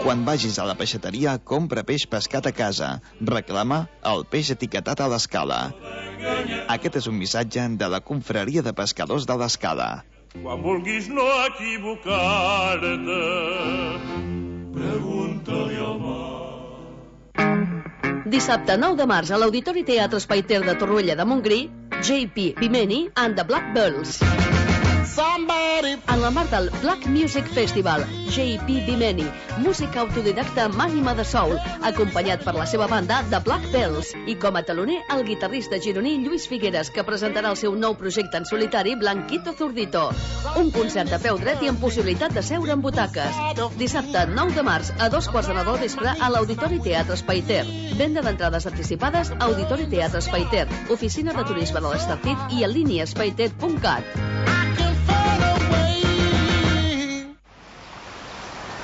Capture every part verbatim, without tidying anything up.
Quan vagis a la peixateria, compra peix pescat a casa. Reclama el peix etiquetat a l'Escala. Aquest és un missatge de la Confraria de Pescadors de l'Escala. Quan vulguis no equivocar-te, pregunta-li al mar. Dissabte nou de març a l'Auditori Teatre Espai Ter de Torroella de Montgrí, J P Bimeni and the Black Bells. En el marc del Black Music Festival, J P Bimeni, música autodidacta amb ànima de soul, acompanyat per la seva banda The Black Bells, i com a teloner el guitarrista gironí Lluís Figueres, que presentarà el seu nou projecte en solitari, Blanquito Zurdito. Un concert de peu dret i amb possibilitat de seure en butaques. Dissabte nou de març a dos quarts de nou del vespre a l'Auditori Teatre Espai Ter. Venda d'entrades anticipades a Auditori Teatre Espai Ter, oficina de turisme de l'Estartit i en línia espaiter punt cat.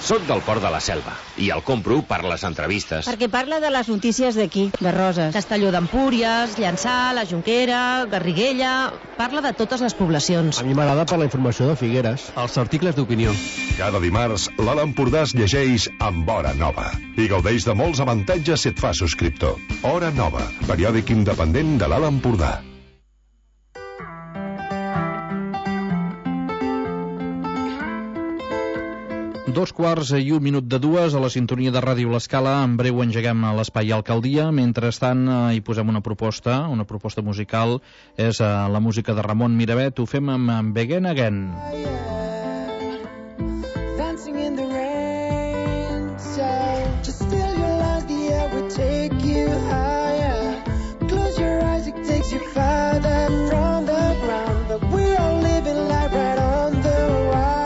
Soc del Port de la Selva i el compro per les entrevistes. Perquè parla de les notícies d'aquí, de Roses. Castelló d'Empúries, Llançà, la Jonquera, Garriguella... Parla de totes les poblacions. A mi m'agrada per la informació de Figueres. Els articles d'opinió. Cada dimarts, l'Alt Empordà es llegeix amb Hora Nova i gaudeix de molts avantatges si et fa subscriptor. Hora Nova, periòdic independent de l'Alt Empordà. Dos quarts i un minut de dues a la sintonia de Ràdio L'Escala. En breu engeguem a l'Espai Alcaldia. Mentrestant eh, hi posem una proposta, una proposta musical. És eh, la música de Ramon Miravet. Ho fem amb, amb Begin Again. Dancing in the rain, so just feel your life, the air will take you higher. Close your eyes, it takes you farther from the ground. But we all living life right on the wire.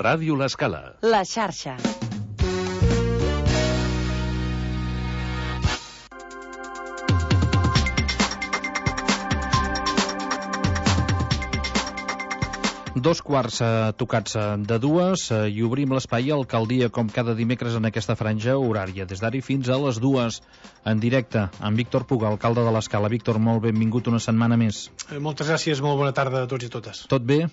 Ràdio L'Escala. La xarxa. Dos quarts eh, tocats eh, de dues eh, i obrim l'espai Alcaldia com cada dimecres en aquesta franja horària, des d'ara fins a les dues, en directe amb Víctor Puga, alcalde de l'Escala. Víctor, molt benvingut una setmana més. Eh, moltes gràcies, molt bona tarda a tots i totes. Tot bé?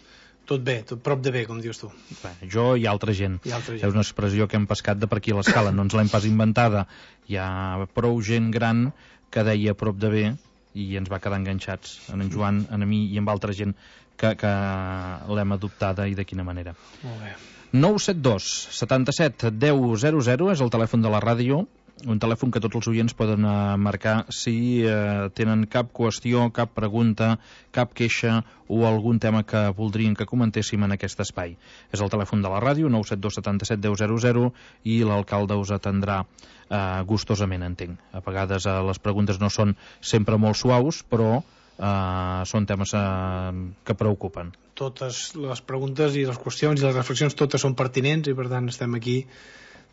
Tot bé, tot prop de bé, com dius tu. Bé, jo i altra gent. I altra gent. És una expressió que hem pescat de per aquí a l'Escala, no ens l'hem pas inventada. Hi ha prou gent gran que deia prop de bé, i ens va quedar enganxats, en en Joan, en mi i amb altra gent que, que l'hem adoptada i de quina manera. Molt bé. nou set dos setanta-set deu zero zero és el telèfon de la ràdio, un telèfon que tots els oients poden uh, marcar si uh, tenen cap qüestió, cap pregunta, cap queixa o algun tema que voldrien que comentéssim en aquest espai. És el telèfon de la ràdio, nou set dos setanta-set deu zero zero, i l'alcalde us atendrà uh, gustosament, entenc. A vegades uh, les preguntes no són sempre molt suaus, però uh, són temes uh, que preocupen. Totes les preguntes i les qüestions i les reflexions totes són pertinents i per tant estem aquí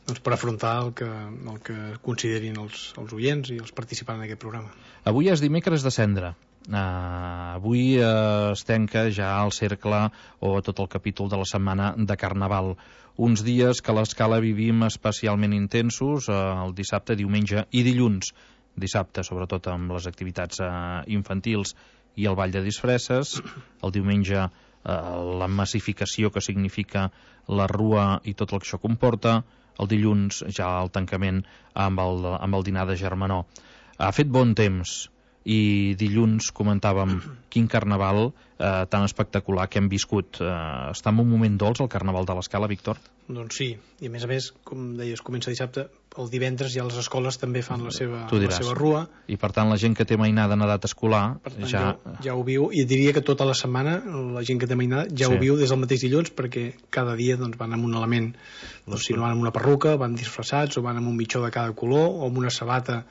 doncs, per afrontar el que, el que considerin els, els oients i els participants en aquest programa. Avui és dimecres de Cendra. Uh, avui uh, es tanca ja el cercle o tot el capítol de la setmana de Carnaval. Uns dies que a l'Escala vivim especialment intensos, uh, el dissabte, diumenge i dilluns. Dissabte, sobretot amb les activitats uh, infantils i el ball de disfresses. El diumenge, uh, la massificació que significa la rua i tot el que això comporta. El dilluns ja el tancament amb el, amb el dinar de germanor. Ha fet bon temps i dilluns comentàvem quin carnaval eh, tan espectacular que hem viscut. Eh, està en un moment dolç el carnaval de l'Escala, Víctor? Doncs sí, i a més a més, com deies, comença dissabte, el divendres ja les escoles també fan la seva, la seva rua. I per tant la gent que té mainada en edat escolar per tant, ja... ja... ja ho viu, i diria que tota la setmana la gent que té mainada ja sí. ho viu des del mateix dilluns, perquè cada dia doncs, van amb un element, doncs, si no van amb una perruca, van disfressats, o van amb un mitjó de cada color, o amb una sabata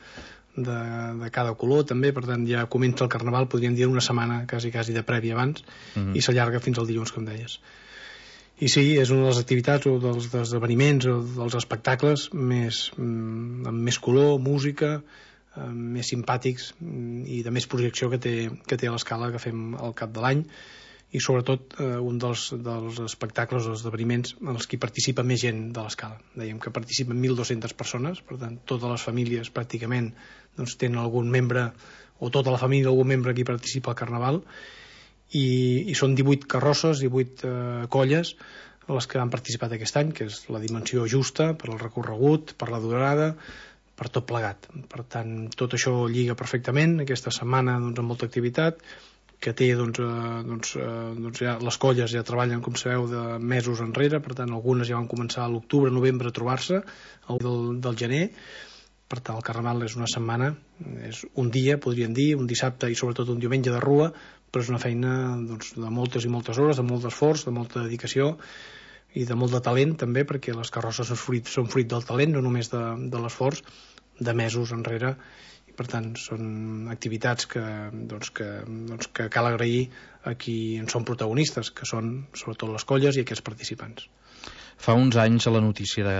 de, de cada color també, per tant ja comença el carnaval, podríem dir una setmana quasi, quasi de prèvia abans, mm-hmm. i s'allarga fins al dilluns, com deies. I sí, és una de les activitats o dels esdeveniments o dels espectacles més, amb més color, música, més simpàtics i de més projecció que té, que té l'Escala, que fem al cap de l'any, i sobretot eh, un dels, dels espectacles o esdeveniments en els que participa més gent de l'Escala. Dèiem que participen mil dues-centes persones, per tant totes les famílies pràcticament doncs, tenen algun membre, o tota la família algun membre que hi participa al Carnaval, i, i són divuit carrosses, divuit eh, colles les que han participat aquest any, que és la dimensió justa per al recorregut, per la durada, per tot plegat. Per tant, tot això lliga perfectament aquesta setmana doncs, amb molta activitat, que té doncs, eh, doncs, eh, doncs ja, les colles ja treballen, com sabeu, de mesos enrere, per tant algunes ja van començar a l'octubre, novembre a trobar-se, el del, del gener. Per tant, el Carnaval és una setmana, és un dia, podríem dir, un dissabte i sobretot un diumenge de rua, però és una feina doncs, de moltes i moltes hores, de molt esforç, de molta dedicació i de molt de talent també, perquè les carrosses són fruit, són fruit del talent, no només de, de l'esforç, de mesos enrere, i per tant són activitats que, doncs, que, doncs, que cal agrair a qui en són protagonistes, que són sobretot les colles i aquests participants. Fa uns anys a la notícia de,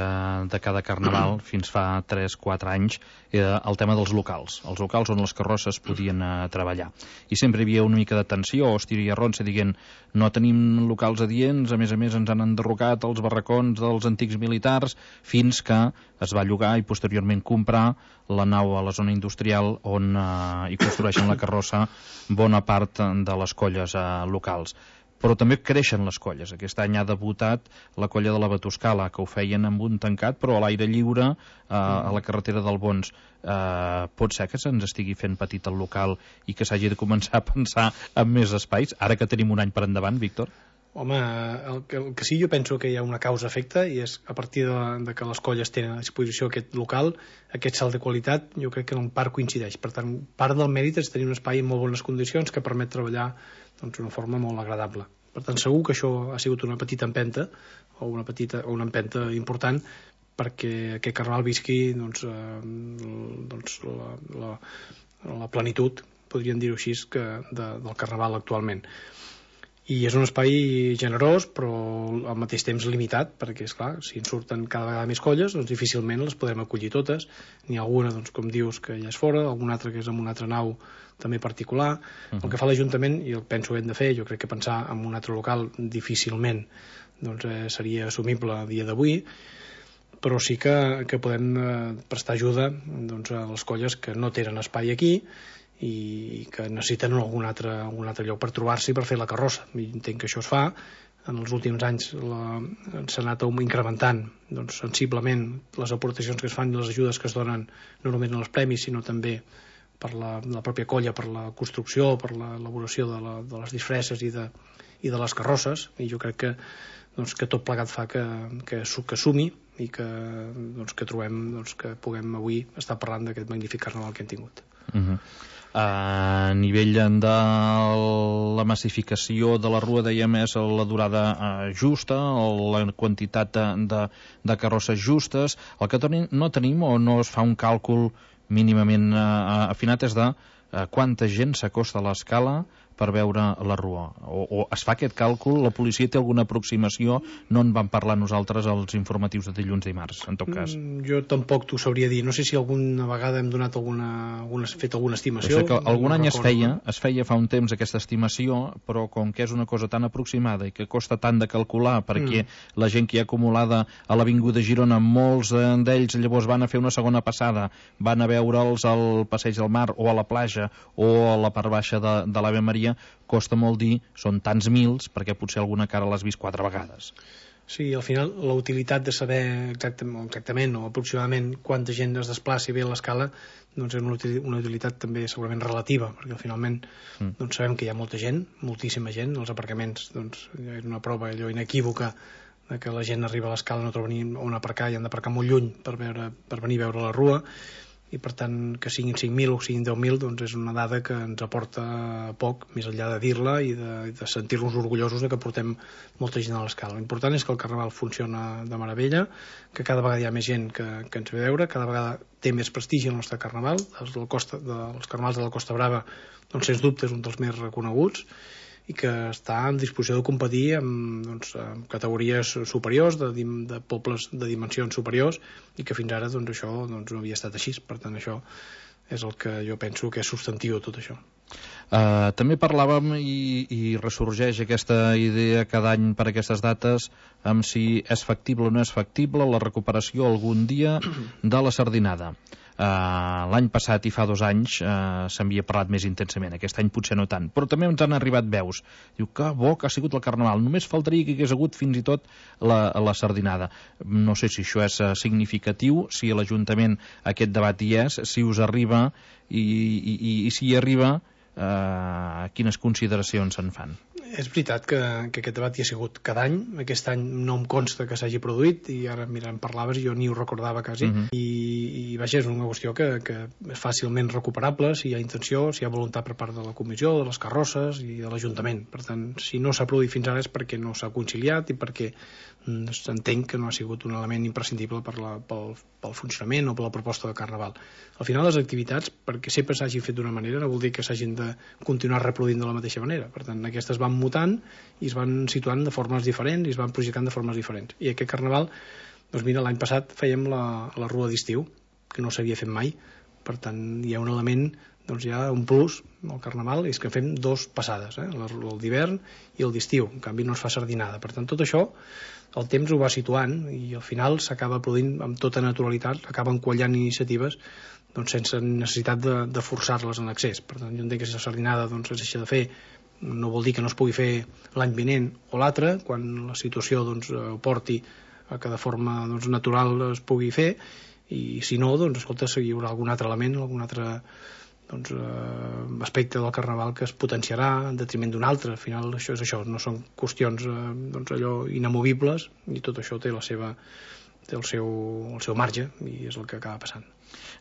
de cada carnaval, fins fa tres quatre anys, era el tema dels locals. Els locals on les carrosses podien eh, treballar. I sempre hi havia una mica de tensió, o estiria ronça, dient no tenim locals adients, a més a més ens han enderrocat els barracons dels antics militars, fins que es va llogar i posteriorment comprar la nau a la zona industrial on eh, hi construeixen la carrossa bona part de les colles eh, locals. Però també creixen les colles. Aquest any ha debutat la colla de la Batuscala, que ho feien amb un tancat, però a l'aire lliure, eh, a la carretera del Bons. Eh, pot ser que se'ns estigui fent petit el local i que s'hagi de començar a pensar en més espais, ara que tenim un any per endavant, Víctor? Home, el que, el que sí, jo penso que hi ha una causa-efecte, i és a partir de, de que les colles tenen a disposició aquest local, aquest salt de qualitat, jo crec que en part coincideix. Per tant, part del mèrit és tenir un espai en molt bones condicions que permet treballar doncs, d'una forma molt agradable. Per tant, segur que això ha sigut una petita empenta, o una petita o una empenta important, perquè aquest carnaval visqui doncs, eh, doncs la, la, la plenitud, podríem dir-ho així, que de, del carnaval actualment. I és un espai generós, però al mateix temps limitat, perquè, esclar, si en surten cada vegada més colles, doncs difícilment les podrem acollir totes. N'hi ha alguna, doncs, com dius, que ja és fora, alguna altra que és amb una altra nau també particular. Uh-huh. El que fa l'Ajuntament, i el penso que hem de fer, jo crec que pensar en un altre local difícilment doncs, eh, seria assumible a dia d'avui, però sí que, que podem eh, prestar ajuda doncs, a les colles que no tenen espai aquí i que necessiten algun altre, algun altre lloc per trobar-s'hi per fer la carrossa. I entenc que això es fa. En els últims anys la, s'ha anat incrementant doncs, sensiblement les aportacions que es fan i les ajudes que es donen no només en els premis sinó també per la, la pròpia colla, per la construcció, per l'elaboració de, la, de les disfresses i de, i de les carrosses, i jo crec que, doncs, que tot plegat fa que, que, que sumi i que, doncs, que trobem doncs, que puguem avui estar parlant d'aquest magnífic carnaval que hem tingut. Uh-huh. A nivell de la massificació de la rua, dèiem, és la durada eh, justa, o la quantitat de, de, de carrosses justes. El que tenim, no tenim o no es fa un càlcul mínimament eh, afinat és de eh, quanta gent s'acosta a l'escala per veure la rua, o, o es fa aquest càlcul, la policia té alguna aproximació, no en vam parlar nosaltres als informatius de dilluns dimarts, en tot cas. Mm, jo tampoc t'ho sabria dir, no sé si alguna vegada hem donat alguna, alguna fet alguna estimació. Sé que algun no any recordo. es feia, es feia fa un temps aquesta estimació, però com que és una cosa tan aproximada i que costa tant de calcular, perquè mm. la gent que hi ha acumulada a l'Avinguda Girona, molts d'ells llavors van a fer una segona passada, van a veure'ls al Passeig del Mar o a la platja o a la part baixa de, de l'Ave Maria, costa molt dir, són tants mils, perquè potser alguna cara l'has vist quatre vegades. Sí, al final la utilitat de saber exactament, exactament o aproximadament quanta gent es desplaci bé a l'escala, doncs és una, una utilitat també segurament relativa, perquè finalment mm. doncs sabem que hi ha molta gent, moltíssima gent, els aparcaments doncs és una prova allò inequívoca de que la gent arriba a l'escala, no troba ni on aparcar i han d'aparcar molt lluny per, veure, per venir a veure la rua, i per tant que siguin cinc mil o siguin deu mil doncs és una dada que ens aporta poc, més enllà de dir-la i de, de sentir-nos orgullosos de que portem molta gent a l'escala. L'important és que el carnaval funciona de meravella, que cada vegada hi ha més gent que, que ens ve a veure, cada vegada té més prestigi el nostre carnaval, els, del Costa, de, els carnavals de la Costa Brava doncs sens dubte és un dels més reconeguts i que està en disposició de competir amb, doncs, amb categories superiors, de, de pobles de dimensions superiors, i que fins ara doncs, això doncs, no havia estat així. Per tant, això és el que jo penso que és substantiu tot això. Uh, també parlàvem i, i ressorgeix aquesta idea cada any per aquestes dates amb si és factible o no és factible la recuperació algun dia de la sardinada. Uh, l'any passat i fa dos anys uh, s'havia parlat més intensament, aquest any potser no tant, però també ens han arribat veus, diu que bo que ha sigut el carnaval, només faltaria que hi hagués hagut fins i tot la, la sardinada. No sé si això és uh, significatiu, si a l'Ajuntament aquest debat hi és, si us arriba i, i, i, i si hi arriba uh, quines consideracions se'n fan. És veritat que, que aquest debat hi ha sigut cada any, aquest any no em consta que s'hagi produït i ara mira, em parlaves i jo ni ho recordava quasi, uh-huh. I, i vaja, és una qüestió que, que és fàcilment recuperable si hi ha intenció, si hi ha voluntat per part de la comissió, de les carrosses i de l'Ajuntament. Per tant, si no s'ha produït fins ara és perquè no s'ha conciliat i perquè s'entenc que no ha sigut un element imprescindible per la, pel, pel funcionament o per la proposta de Carnaval. Al final les activitats, perquè sempre s'hagin fet d'una manera, no vol dir que s'hagin de continuar reproduint de la mateixa manera. Per tant, aquestes van mutant i es van situant de formes diferents i es van projectant de formes diferents. I aquest Carnaval, doncs mira, l'any passat fèiem la, la rua d'estiu, que no s'havia fet mai. Per tant, hi ha un element, doncs hi ha un plus al Carnaval, és que fem dos passades, eh? el d'hivern i el d'estiu. En canvi no es fa sardinada. Per tant, tot això el temps ho va situant i al final s'acaba produint amb tota naturalitat, acaben quallant iniciatives doncs, sense necessitat de, de forçar-les en excés. Per tant, jo entenc que si la sardinada doncs, es deixa de fer, no vol dir que no es pugui fer l'any vinent o l'altre, quan la situació doncs, ho porti a que de forma doncs, natural es pugui fer, i si no, doncs, escolta, hi haurà algun altre element, algun altre doncs, eh, aspecte del Carnaval que es potenciarà en detriment d'un altre. Al final això és això, no són qüestions eh, doncs, allò inamovibles, i tot això té la seva té el seu, el seu marge i és el que acaba passant.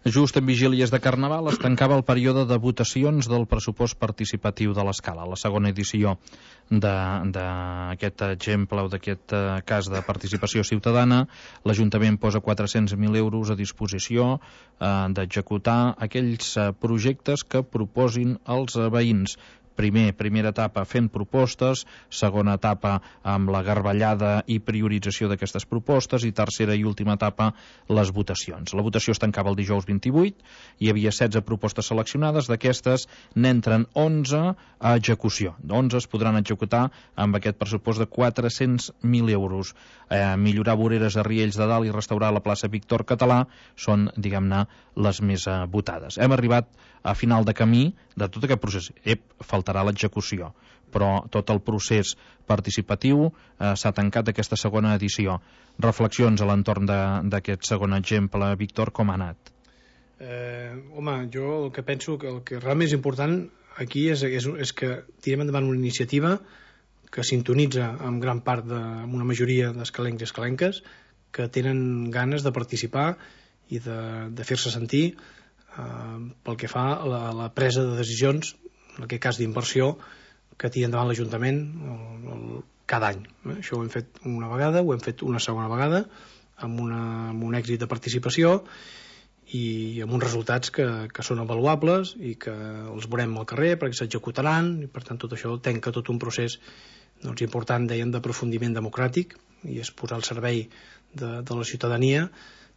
Just en vigílies de Carnaval es tancava el període de votacions del pressupost participatiu de l'Escala, la segona edició d'aquest exemple o d'aquest cas de participació ciutadana. L'Ajuntament posa quatre-cents mil euros a disposició eh, d'executar aquells projectes que proposin els veïns. Primer, primera etapa fent propostes, segona etapa amb la garbellada i priorització d'aquestes propostes i tercera i última etapa les votacions. La votació es tancava el dijous vint-i-vuit, hi havia setze propostes seleccionades, d'aquestes n'entren onze a execució. onze es podran executar amb aquest pressupost de quatre-cents mil euros. Eh, millorar voreres a Riells de Dalt i restaurar la plaça Víctor Català són, diguem-ne, les més eh, votades. Hem arribat a final de camí de tot aquest procés. Ep, faltarà l'execució, però tot el procés participatiu eh, s'ha tancat aquesta segona edició. Reflexions a l'entorn d'aquest segon exemple, Víctor, com ha anat? Eh, home, jo el que penso que el que realment és important aquí és, és, és que tirem endavant una iniciativa que sintonitza amb gran part de, amb una majoria d'escalencs i escalenques que tenen ganes de participar i de, de fer-se sentir eh, pel que fa a la, la presa de decisions, en aquest cas d'inversió, que tira endavant l'Ajuntament el, el, cada any. Eh? Això ho hem fet una vegada, ho hem fet una segona vegada, amb, una, amb un èxit de participació i amb uns resultats que, que són avaluables i que els veurem al carrer perquè s'executaran i per tant tot això tanca tot un procés doncs, important, dèiem, d'aprofundiment democràtic i és posar al servei de, de la ciutadania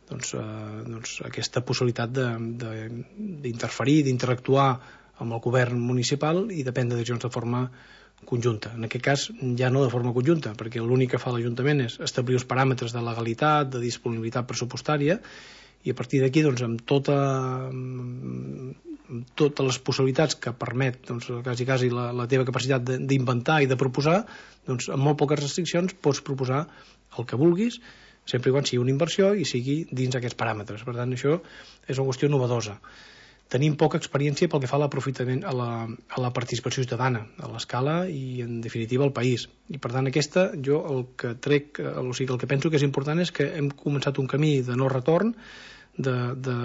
doncs, eh, doncs aquesta possibilitat d'interferir, d'interactuar amb el govern municipal i de prendre decisions de forma conjunta. En aquest cas ja no de forma conjunta, perquè l'únic que fa l'Ajuntament és establir els paràmetres de legalitat, de disponibilitat pressupostària i a partir d'aquí doncs, amb, tota, amb totes les possibilitats que permet doncs, quasi, quasi la, la teva capacitat d'inventar i de proposar, doncs, amb molt poques restriccions pots proposar el que vulguis sempre i quan sigui una inversió i sigui dins aquests paràmetres. Per tant, això és una qüestió novedosa. Tenim poca experiència pel que fa a l'aprofitament a, la, a la participació ciutadana a l'escala i en definitiva al país i per tant aquesta jo el que trec o sigui, el que penso que és important és que hem començat un camí de no retorn de, de,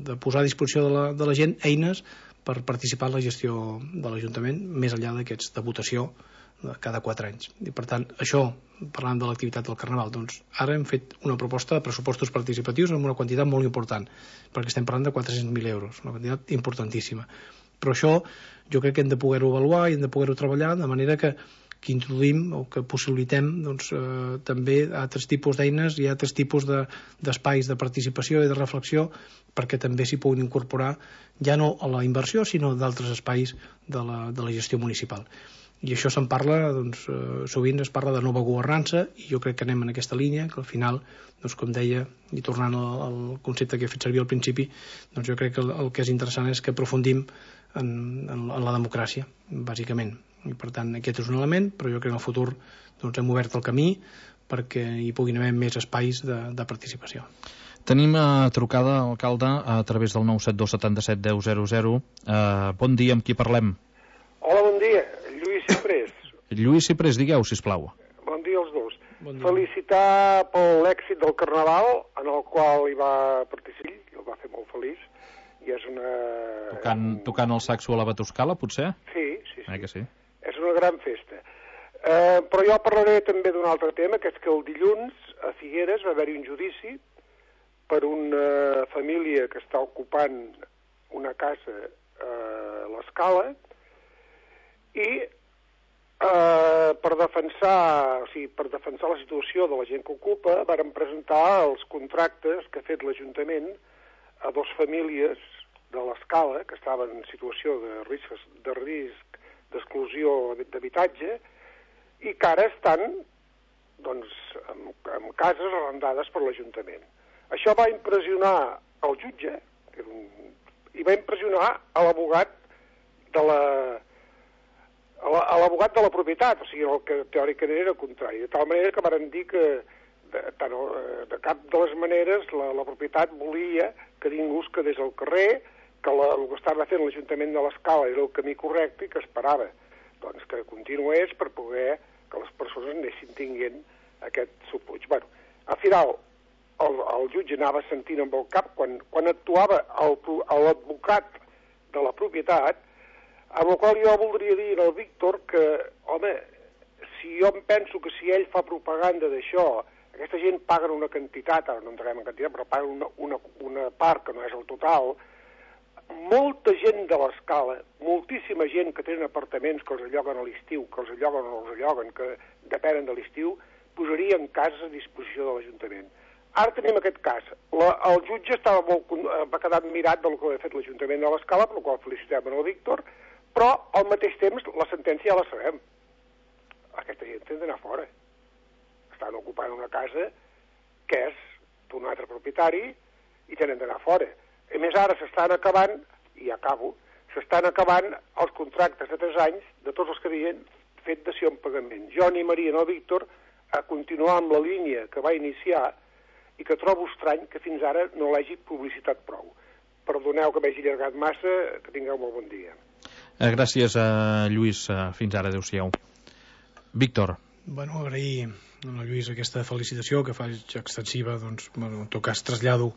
de posar a disposició de la, de la gent eines per participar en la gestió de l'Ajuntament més enllà d'aquests de votació cada quatre anys i per tant això parlant de l'activitat del Carnaval doncs ara hem fet una proposta de pressupostos participatius amb una quantitat molt important perquè estem parlant de quatre-cents mil euros una quantitat importantíssima però això jo crec que hem de poder-ho avaluar i hem de poder-ho treballar de manera que, que introduïm o que possibilitem doncs, eh, també altres tipus d'eines i altres tipus d'espais de, de participació i de reflexió perquè també s'hi puguin incorporar ja no a la inversió sinó d'altres espais de la, de la gestió municipal i això se'n parla, doncs, eh, sovint es parla de nova governança i jo crec que anem en aquesta línia, que al final, doncs, com deia, i tornant al, al concepte que he fet servir al principi, doncs jo crec que el, el que és interessant és que aprofundim en, en, en la democràcia, bàsicament. I per tant, aquest és un element, però jo crec que en el futur doncs, hem obert el camí perquè hi puguin haver més espais de, de participació. Tenim a trucada, alcalde, a través del nou set dos set set deu zero zero. Uh, bon dia, amb qui parlem? Hola, bon dia. Lluís Ciprés. Lluís Ciprés, digueu, sisplau. Bon dia als dos. Bon dia. Felicitar per l'èxit del Carnaval, en el qual hi va participar, i el va fer molt feliç, i és una... Tocant, tocant el saxo a la Batuscala, potser? Sí, sí, sí. Eh que sí. És una gran festa. Eh, però jo parlaré també d'un altre tema, que és que el dilluns a Figueres va haver-hi un judici per una família que està ocupant una casa a l'Escala i eh, per defensar o sigui, per defensar la situació de la gent que ocupa varen presentar els contractes que ha fet l'Ajuntament a dos famílies de l'Escala que estaven en situació de risc de risc d'exclusió d'habitatge i que ara estan doncs, en, en cases arrendades per l'Ajuntament. Això va impressionar el jutge que era un, i va impressionar a l'abogat de la a l'abogat de la propietat, o sigui, el que teòricament era contrari, de tal manera que varen dir que de, tant, de cap de les maneres la, la propietat volia que ningú es quedés al carrer, que la, el que estava fent l'Ajuntament de l'Escala era el camí correcte i que esperava doncs, que continués per poder que les persones anessin tinguent aquest supuig. Bueno, al final el, el jutge anava sentint amb el cap quan, quan actuava l'advocat de la propietat, amb el qual jo voldria dir al Víctor que, home, si jo em penso que si ell fa propaganda d'això, aquesta gent paguen una quantitat, ara no entrarem en quantitat, però paguen una, una, una part que no és el total, molta gent de l'Escala, moltíssima gent que tenen apartaments que els alloguen a l'estiu, que els alloguen o els alloguen, que depenen de l'estiu, posarien cases a disposició de l'Ajuntament. Ara tenim aquest cas. La, el jutge estava molt, va quedar admirat del que havia fet l'Ajuntament de l'Escala, per la qual felicitem el Víctor, però al mateix temps la sentència ja la sabem. Aquesta gent tenen d'anar fora. Estan ocupant una casa que és d'un altre propietari i tenen d'anar fora. A més, ara s'estan acabant, i acabo, s'estan acabant els contractes de tres anys de tots els que havien fet dació en pagament. Jo animaria el Víctor a continuar amb la línia que va iniciar i que trobo estrany que fins ara no l'hagi publicitat prou. Perdoneu que m'hagi allargat massa, que tingueu molt bon dia. Gràcies, a Lluís. Fins ara, adéu-siau. Víctor. Bueno, agrair a la Lluís aquesta felicitació que faig extensiva, doncs, bueno, en tot cas trasllado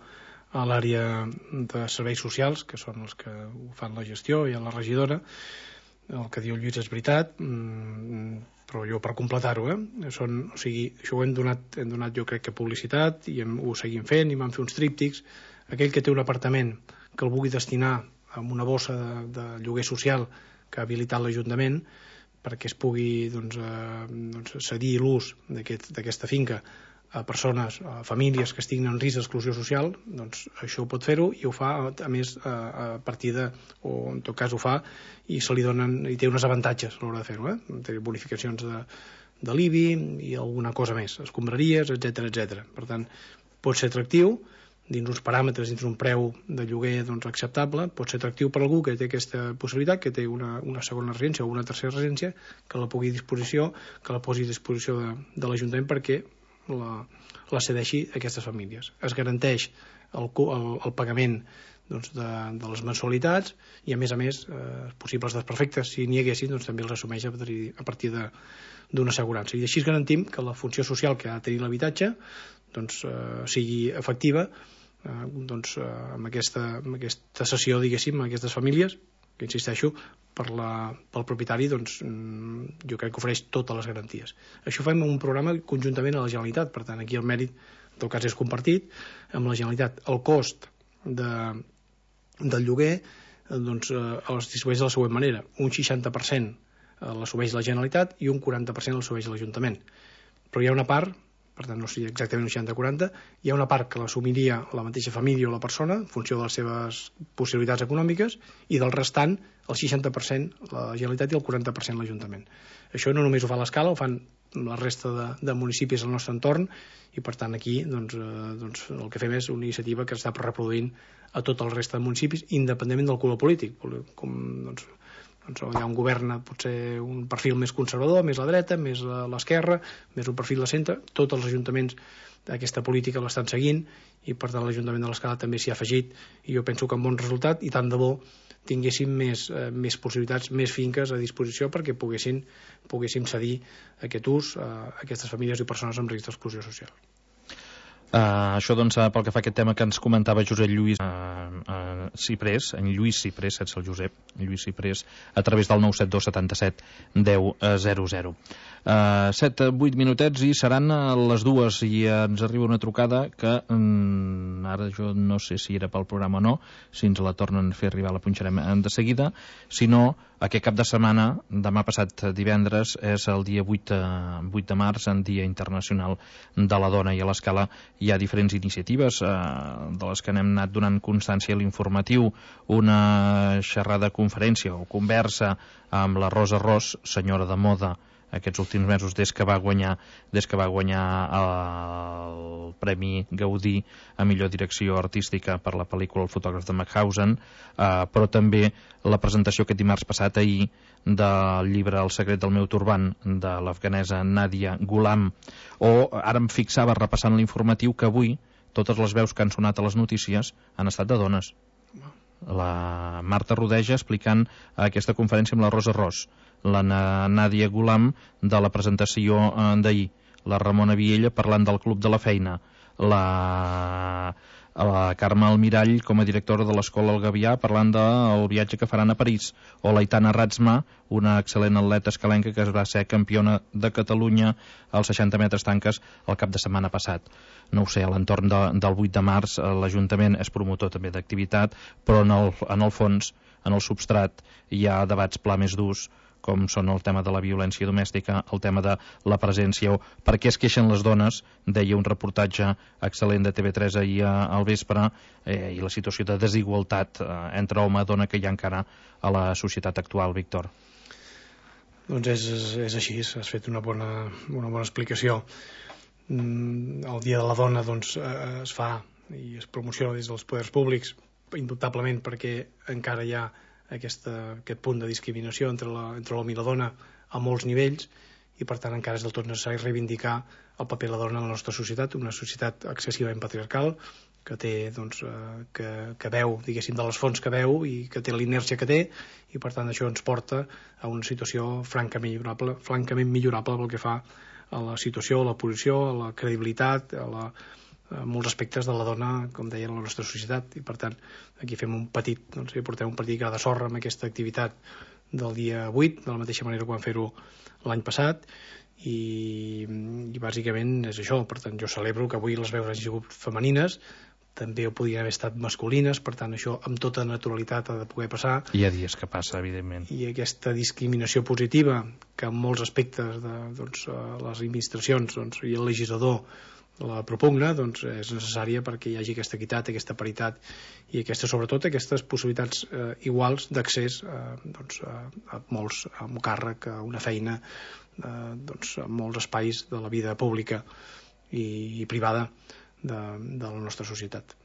a l'àrea de serveis socials, que són els que ho fan la gestió, i a la regidora. El que diu el Lluís és veritat, però jo per completar-ho, eh? Són, o sigui, això ho hem donat, hem donat jo crec que publicitat, i hem, ho seguim fent, i vam fer uns tríptics. Aquell que té un apartament que el vulgui destinar a una bossa de, de lloguer social que ha habilitat l'Ajuntament perquè es pugui doncs, eh, doncs cedir l'ús d'aquesta aquest, finca a persones, a famílies que estiguin en risc d'exclusió social, doncs això ho pot fer-ho, i ho fa a més a, a partir de, o en tot cas ho fa i se li donen, i té uns avantatges a l'hora de fer-ho, eh? Té bonificacions de, de l'I B I i alguna cosa més, escombraries, etcètera, etcètera. Per tant, pot ser atractiu dins uns paràmetres, dins un preu de lloguer doncs, acceptable, pot ser atractiu per algú que té aquesta possibilitat, que té una, una segona residència o una tercera residència, que la pugui a disposició, que la posi a disposició de, de l'Ajuntament perquè la, la cedeixi a aquestes famílies. Es garanteix el, el, el pagament doncs, de, de les mensualitats i, a més a més, eh, possibles desperfectes, si n'hi haguessin, doncs, també els assumeix a partir, a partir de, d'una assegurança. I així garantim que la funció social que ha de tenir l'habitatge doncs, eh, sigui efectiva eh, doncs, eh, amb, aquesta, amb aquesta cessió, diguéssim, a aquestes famílies, que insisteixo, per la, pel propietari, doncs, jo crec que ofereix totes les garanties. Això fem un programa conjuntament a la Generalitat, per tant, aquí el mèrit, en tot cas, és compartit amb la Generalitat. El cost de, del lloguer doncs, eh, els distribueix de la següent manera. Un seixanta per cent l'assumeix la Generalitat i un quaranta per cent l'assumeix l'Ajuntament. Però hi ha una part, per tant no sé exactament un seixanta quaranta, hi ha una part que l'assumiria la mateixa família o la persona en funció de les seves possibilitats econòmiques, i del restant el seixanta per cent la Generalitat i el quaranta per cent l'Ajuntament. Això no només ho fa l'Escala, ho fan la resta de, de municipis del nostre entorn, i per tant aquí doncs, eh, doncs, el que fem és una iniciativa que està reproduint a tot el resta de municipis, independentment del color polític. Com, doncs, doncs hi ha un govern potser un perfil més conservador, més a la dreta, més a l'esquerra, més un perfil de centre. Tots els ajuntaments d'aquesta política l'estan seguint, i per tant l'Ajuntament de l'Escala també s'hi ha afegit, i jo penso que amb bon resultat, i tant de bo tinguéssim més, eh, més possibilitats, més finques a disposició perquè poguessin, poguéssim cedir aquest ús a aquestes famílies i persones amb risc d'exclusió social. Uh, això doncs pel que fa a aquest tema que ens comentava Josep Lluís uh, uh, Ciprés, en Lluís Ciprés, sense el Josep, Lluís Ciprés, a través del nou set dos setanta set deu zero zero. Uh, set vuit minutets i seran les dues, i ens arriba una trucada que um, ara jo no sé si era pel programa o no, si ens la tornen a fer arribar la punxarem de seguida, si no, aquest cap de setmana, demà passat divendres, és el dia vuit de març, en Dia Internacional de la Dona, i a l'Escala hi ha diferents iniciatives eh, de les que n'hem anat donant constància a l'informatiu. Una xerrada, conferència o conversa amb la Rosa Ros, senyora de moda, aquests últims mesos des que va guanyar des que va guanyar el Premi Gaudí a millor direcció artística per la pel·lícula El fotògraf de Mauthausen, eh, però també la presentació aquest dimarts passat, ahir, del llibre El secret del meu turbant, de l'afganesa Nadia Ghulam. O ara em fixava, repassant l'informatiu, que avui totes les veus que han sonat a les notícies han estat de dones. La Marta Rodeja explicant aquesta conferència amb la Rosa Ros, la Nadia Ghulam de la presentació d'ahir, la Ramona Viella parlant del Club de la Feina, la, la Carme Almirall com a directora de l'Escola El Gavià parlant del viatge que faran a París, o la Aitana Ratzma, una excel·lent atleta escalenca que es va ser campiona de Catalunya als seixanta metres tanques el cap de setmana passat. No ho sé, a l'entorn de, del vuit de març l'Ajuntament és promotor també d'activitat, però en el, en el fons, en el substrat, hi ha debats pla més durs, com són el tema de la violència domèstica, el tema de la presència, o per què es queixen les dones, deia un reportatge excel·lent de T V tres ahir al vespre, eh, i la situació de desigualtat eh, entre home i dona que hi ha encara a la societat actual, Víctor. Doncs és, és així, has fet una bona, una bona explicació. El Dia de la Dona doncs, es fa i es promociona des dels poders públics, indubtablement perquè encara hi ha Aquesta, aquest punt de discriminació entre l'home i la dona a molts nivells, i per tant encara és del tot necessari reivindicar el paper de la dona en la nostra societat, una societat excessivament patriarcal, que té, doncs, eh, que, que veu, diguéssim, de les fonts que veu i que té l'inèrcia que té, i per tant això ens porta a una situació francament millorable, francament millorable pel que fa a la situació, a la posició, a la credibilitat, a, la, a molts aspectes de la dona, com deia, a la nostra societat, i per tant aquí fem un petit, doncs, portem un petit gra de sorra amb aquesta activitat del dia vuit, de la mateixa manera que vam fer-ho l'any passat, i, i bàsicament és això. Per tant, jo celebro que avui les veus hagin sigut femenines, també ho podien haver estat masculines, per tant això amb tota naturalitat ha de poder passar. Hi ha dies que passa, evidentment. I aquesta discriminació positiva que en molts aspectes de doncs, les administracions doncs, i el legislador la propugna, doncs és necessària perquè hi hagi aquesta equitat, aquesta paritat i aquesta, sobretot aquestes possibilitats eh, iguals d'accés eh, doncs, a, a molts, a un càrrec, a una feina, eh, doncs, a molts espais de la vida pública i, i privada de, de la nostra societat.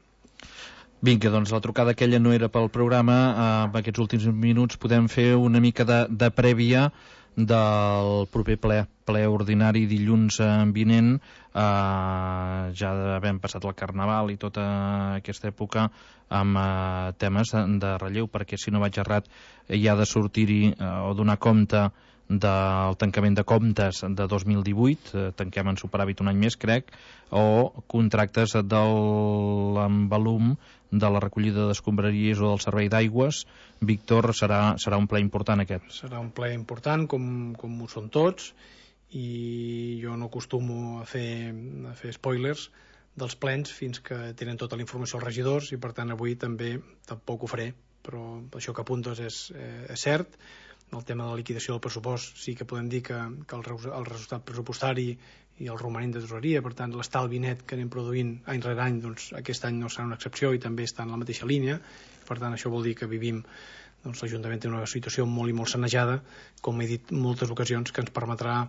Vinga, doncs la trucada aquella no era pel programa. Eh, en aquests últims minuts podem fer una mica de, de prèvia del proper ple, ple ordinari dilluns vinent, eh, ja havent passat el Carnaval i tota aquesta època amb eh, temes de, de relleu, perquè si no vaig errat hi ha de sortir-hi eh, o donar compte del tancament de comptes de dos mil divuit, eh, tanquem en superàvit un any més, crec, o contractes del envolum de la recollida d'escombraries o del servei d'aigües. Víctor, serà, serà un ple important aquest. Serà un ple important, com, com ho són tots, i jo no acostumo a fer, a fer spoilers dels plens fins que tenen tota la informació els regidors, i per tant avui també tampoc ho faré, però això que apuntes és, eh, és cert. El tema de la liquidació del pressupost sí que podem dir que, que el, el resultat pressupostari i el romanent de tesoreria, per tant l'estalvi net que anem produint any rere any, doncs aquest any no serà una excepció i també està en la mateixa línia. Per tant això vol dir que vivim, doncs l'Ajuntament té una situació molt i molt sanejada, com he dit en moltes ocasions, que ens permetrà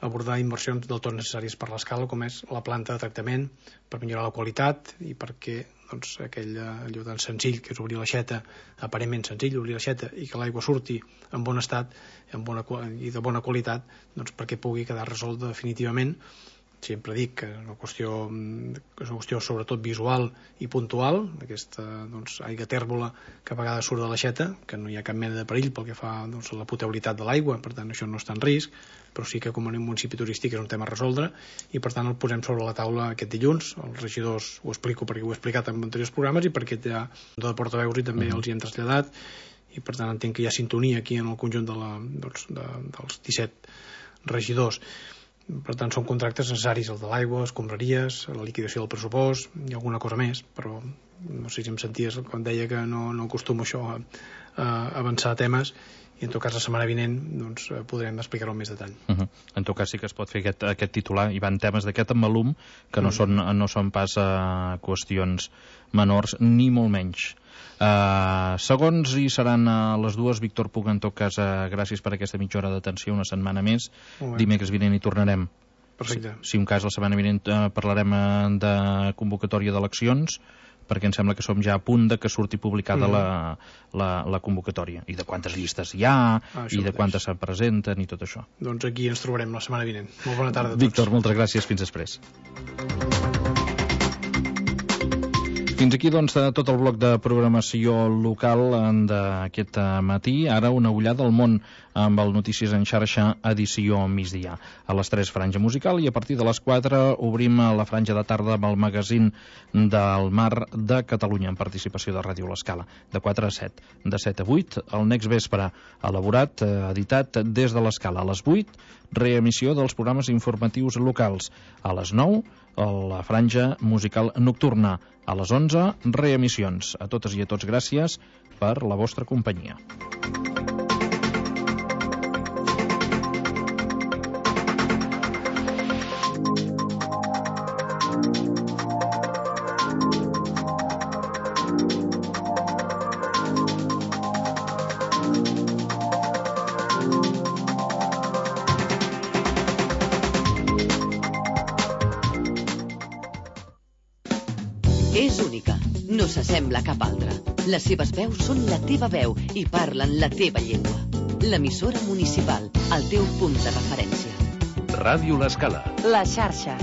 abordar inversions del tot necessàries per l'escala, com és la planta de tractament, per millorar la qualitat i perquè doncs, aquell allò tan senzill que és obrir l'aixeta, aparentment senzill, obrir l'aixeta i que l'aigua surti en bon estat en bona, i de bona qualitat, doncs perquè pugui quedar resolt definitivament. Sempre dic que és una qüestió, és una qüestió sobretot visual i puntual, aquesta doncs, aigua tèrbola que a vegades surt de l'aixeta, que no hi ha cap mena de perill pel que fa doncs, a la potabilitat de l'aigua, per tant això no està en risc, però sí que com a municipi turístic és un tema a resoldre i per tant el posem sobre la taula aquest dilluns. Els regidors ho explico perquè ho he explicat en anteriors programes i perquè ja de portaveus i també els hi hem traslladat, i per tant entenc que hi ha sintonia aquí en el conjunt de la, doncs, de, dels disset regidors. Per tant són contractes necessaris, el de l'aigua, escombraries, la liquidació del pressupost i alguna cosa més, però no sé si em senties quan deia que no, no acostumo això a, a avançar temes, i en tot cas la setmana vinent doncs, podrem explicar-ho en més detall. Uh -huh. En tot cas sí que es pot fer aquest, aquest titular. Hi van temes d'aquest embalum que no, uh -huh. són, no són pas uh, qüestions menors, ni molt menys. Uh, segons hi seran a les dues, Víctor Puga, en tot cas, uh, gràcies per aquesta mitja hora d'atenció, una setmana més. Dimecres vinent hi tornarem. Perfecte. Si, si un cas la setmana vinent uh, parlarem uh, de convocatòria d'eleccions, perquè em sembla que som ja a punt de que surti publicada mm. la, la, la convocatòria, i de quantes llistes hi ha, ah, i de quantes se presenten i tot això. Doncs aquí ens trobarem la setmana vinent. Molt bona tarda a tots. Víctor, moltes gràcies, fins després. Fins aquí, doncs, tot el bloc de programació local d'aquest matí. Ara una ullada al món amb el Notícies en xarxa, edició migdia. A les tres, franja musical, i a partir de les quatre obrim la franja de tarda amb el magazín del Mar de Catalunya, en participació de Ràdio L'Escala, de quatre a set. De set a vuit, el Next Vespre, elaborat, editat des de l'Escala. A les vuit, reemissió dels programes informatius locals. A les nou, la franja musical nocturna. A les onze, reemissions. A totes i a tots, gràcies per la vostra companyia. És única, no s'assembla a cap altra. Les seves veus són la teva veu i parlen la teva llengua. L'emissora municipal, el teu punt de referència. Ràdio L'Escala. La xarxa.